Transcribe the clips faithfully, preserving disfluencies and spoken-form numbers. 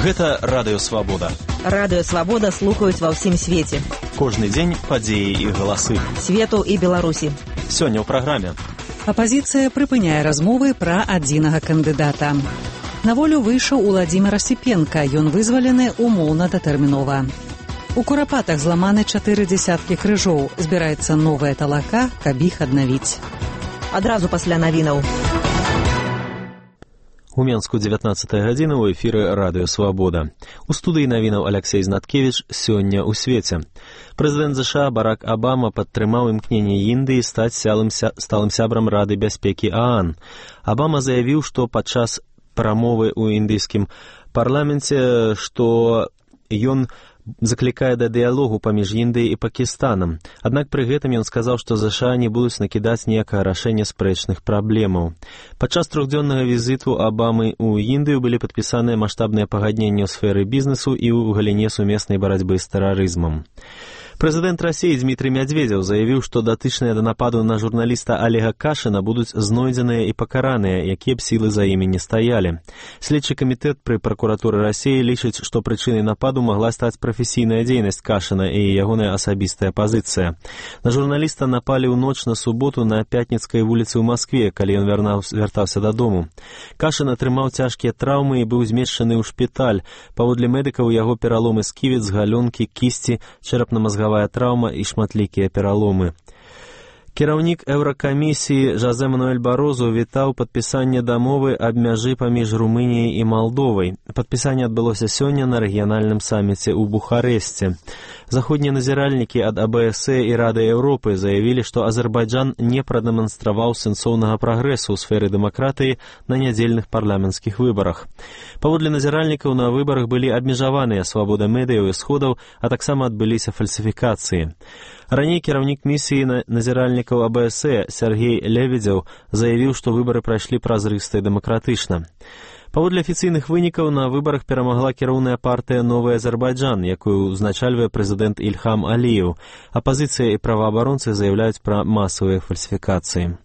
Гэта Радыё Свабода. Радыё Свабода слухаюць ва ўсім свеце. Кожны дзень падзеі і галасы. Свету і Беларусі. Сёння ў праграме. Апазіцыя прыпыняе размовы пра адзінага кандыдата. На волю выйшаў Уладзімір Асіпенка, ён вызвалены умоўна-датэрмінова. У Курапатах зламаны чатыры дзесяткі крыжоў. Збіраецца новая талака, каб іх аднавіць. Адразу пасля навінаў. У Менску дзевятнаццатая гадзіна ў эфіры Радыё Свабода. У студыі навінаў Аляксей Знаткевіч сёння ў свеце. Прэзідэнт ЗША Барак Абама падтрымаў імкненне Індыі стаць сталым сябрам Рады бяспекі ААН. Абама заявіў, што падчас прамовы ў індыйскім парламенце, што ён заклікае да дыялогу паміж Індыяй і Пакістанам. Аднак пры гэтым ён сказаў, што ЗША не будуць накідаць ніякага рашэння спрэчных праблемаў. Падчас трохдзённага візіту Абамы ў Індыю былі падпісаныя маштабныя пагадненні ў сферы бізнесу і ў галіне сумеснай барацьбы з тэрарызмам. Прэзідэнт Расіі Дмітрый Мядзведзеў заявіў, што датычныя да нападу на журналіста Олега Кашына будуць знойдзеныя і пакараныя, якія б сілы за імі не стаялі. Следчы камітэт пры пракуратуры Расіі лічыць, што прычынай нападу магла стаць прафесійная дзейнасць Кашына і ягоная асабістая пазіцыя. На журналіста напалі ў ноч на суботу на Пятніцкай вуліцы ў Маскве, калі ён вяртаўся дадому. Кашын атрымаў цяжкія траўмы і быў змешчаны ў шпіталь. Паводле медыкаў яго пераломы сківіц, галёнкі, кісці, чэрапна-мазгавая траўма і шматлікія пераломы. Кіраўнік Еўракамісіі Жозе Мануэль Барозу вітаў падпісанне дамовы аб мяжы паміж Румыніяй і Малдовай. Падпісанне адбылося сёння на рэгіянальным саміце ў Бухарэсце. Заходнія назіральнікі ад АБС і Рады Еўропы заявілі, што Азербайджан не прадэманстраваў сэнсоўнага прагрэсу ў сферы дэмакратыі на нядзельных парламенцкіх выбарах. Паводле назіральнікаў на выбарах былі абмежаваныя свабода медыяў і сходаў, а таксама адбыліся фальсіфікацыі. Раней кіраўнік місіі назіральнікаў АБС Сергей Лебедзеў заявіў, што выбары прайшлі празрыста і дэмакратычна. Паводле афіцыйных вынікаў на выбарах перамагла кіроўная партыя «Новы Азербайджан», якую узначальвае прэзідэнт Ільхам Аліеў. Апазіцыя і праваабаронцы заяўляюць пра масавыя фальсіфікацыі.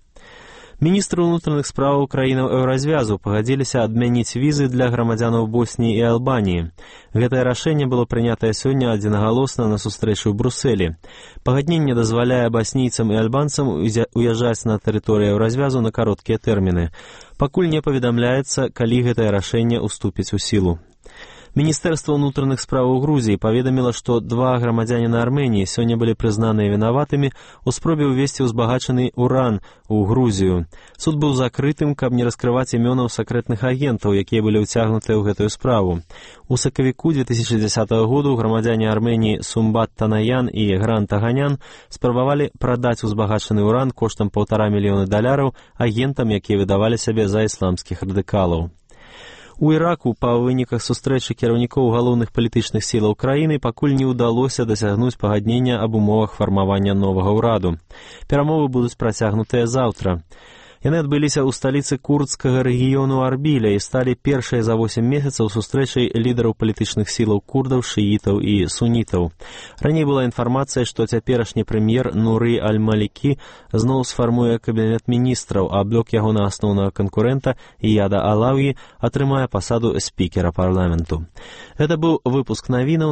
Міністры ўнутраных справаў краінаў Еўразвязу пагадзіліся адмяніць візы для грамадзянаў Босніі і Албаніі. Гэтае рашэнне было прынятае сёння адзінагалосна на сустрэчы ў Брусэлі. Пагадненне дазваляе баснійцам і альбанцам уязджаць на тэрыторыю Еўразвязу на кароткія тэрміны. Пакуль не паведамляецца, калі гэтае рашэнне ўступіць у сілу. Міністэрства ўнутраных справаў Грузіі паведаміла, што два грамадзяніна Арменіі сёння былі прызнаныя вінаватымі ў спробе ўвесці ўзбагачаны уран у Грузію. Суд быў закрытым, каб не раскрываць імёнаў сакрэтных агентаў, якія былі ўцягнутыя ў гэтую справу. У сакавіку две тысячы дзесятага году грамадзяне Арменіі Сумбат Танаян і Гран Таганян спрабавалі прадаць узбагачаны уран коштам паўтара мільёны даляраў агентам, якія выдавалі сябе за ісламскіх радыкалаў. У Іраку па выніках сустрэчы кіраўнікоў галоўных палітычных сілаў краіны пакуль не ўдалося дасягнуць пагаднення аб умовах фармавання новага ўраду. Перамовы будуць працягнутыя заўтра. Яны адбыліся ў сталіцы курдскага рэгіёну Арбіля і сталі першай за восем месяцаў сустрэчай лідараў палітычных сілаў курдаў, шыітаў і сунітаў. Раней была інфармацыя, што цяперашні прэм'ер Нуры Аль-Малікі зноў сфармуе кабінет міністраў, а блок ягонага асноўнага канкурэнта Ияда Алаўі атрымае пасаду спікера парламенту. Гэта быў выпуск навінаў.